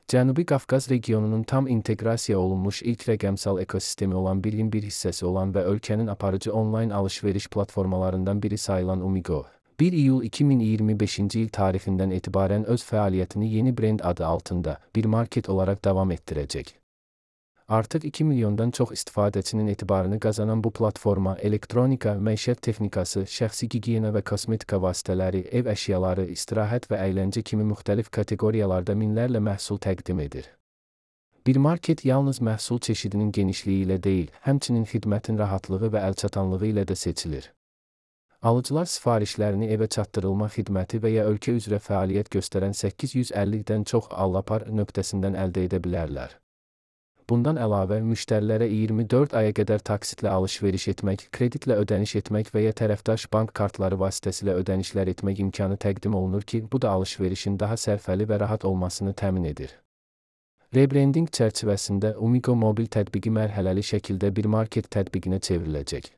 Cənubi Qafqaz regionunun tam inteqrasiya olunmuş ilk rəqəmsal ekosistemi olan birliyin bir hissəsi olan və ölkənin aparıcı onlayn alış-veriş platformalarından biri sayılan Umigo, 1 iyul 2025-ci il tarixindən etibarən öz fəaliyyətini yeni brend adı altında bir market olaraq davam etdirəcək. Artıq 2 milyondan çox istifadəçinin etibarını qazanan bu platforma elektronika, məişət texnikası, şəxsi gigiyena və kosmetika vasitələri, ev əşyaları, istirahət və əyləncə kimi müxtəlif kateqoriyalarda minlərlə məhsul təqdim edir. Bir market yalnız məhsul çeşidinin genişliyi ilə deyil, həmçinin xidmətin rahatlığı və əlçatanlığı ilə də seçilir. Alıcılar sifarişlərini evə çatdırılma xidməti və ya ölkə üzrə fəaliyyət göstərən 850-dən çox Allapar nöqtəsindən əldə edə bilərlər. Bundan əlavə, müştərilərə 24 aya qədər taksitlə alış-veriş etmək, kreditlə ödəniş etmək və ya tərəfdaş bank kartları vasitəsilə ödənişlər etmək imkanı təqdim olunur ki, bu da alış-verişin daha sərfəli və rahat olmasını təmin edir. Rebranding çərçivəsində Umigo mobil tətbiqi mərhələli şəkildə bir market tətbiqinə çevriləcək.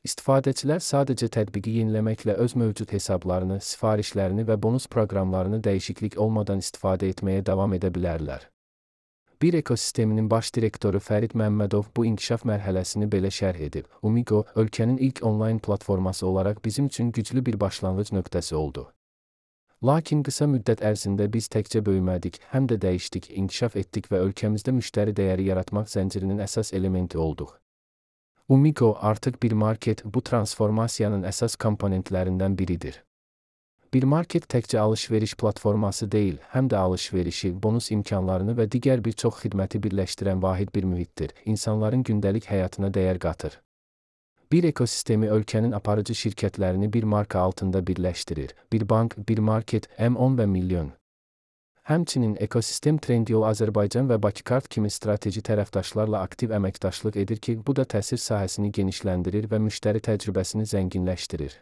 İstifadəçilər sadəcə tətbiqi yeniləməklə öz mövcud hesablarını, sifarişlərini və bonus proqramlarını dəyişiklik olmadan istifadə etməyə davam edə bilərlər. Bir ekosisteminin baş direktoru Fərid Məmmədov bu inkişaf mərhələsini belə şərh edib. Umigo, ölkənin ilk onlayn platforması olaraq bizim üçün güclü bir başlanğıc nöqtəsi oldu. Lakin qısa müddət ərzində biz təkcə böyümədik, həm də dəyişdik, inkişaf etdik və ölkəmizdə müştəri dəyəri yaratmaq zəncirinin əsas elementi olduq. Umigo artıq bir market, bu transformasiyanın əsas komponentlərindən biridir. Bir market təkcə alış-veriş platforması deyil, həm də alış-verişi, bonus imkanlarını və digər bir çox xidməti birləşdirən vahid bir mühitdir, insanların gündəlik həyatına dəyər qatır. Bir ekosistemi ölkənin aparıcı şirkətlərini bir marka altında birləşdirir. Bir bank, bir market, M10 və milyon. Həmçinin ekosistem Trendyol Azərbaycan və Bakikart kimi strateji tərəfdaşlarla aktiv əməkdaşlıq edir ki, bu da təsir sahəsini genişləndirir və müştəri təcrübəsini zənginləşdirir.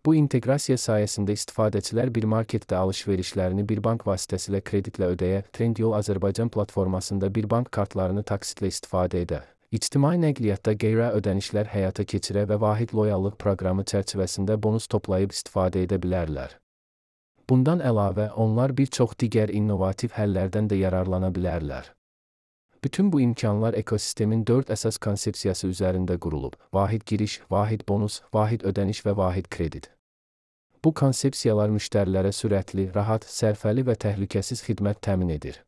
Bu inteqrasiya sayəsində istifadəçilər bir marketdə alış-verişlərini bir bank vasitəsilə kreditlə ödəyə, Trendyol Azərbaycan platformasında bir bank kartlarını taksitlə istifadə edə, ictimai nəqliyyatda qeyri ödənişlər həyata keçirə və vahid loyallıq proqramı çərçivəsində bonus toplayıb istifadə edə bilərlər. Bundan əlavə, onlar bir çox digər innovativ həllərdən də yararlana bilərlər. Bütün bu imkanlar ekosistemin 4 əsas konsepsiyası üzərində qurulub: vahid giriş, vahid bonus, vahid ödəniş və vahid kredit. Bu konsepsiyalar müştərilərə sürətli, rahat, sərfəli və təhlükəsiz xidmət təmin edir.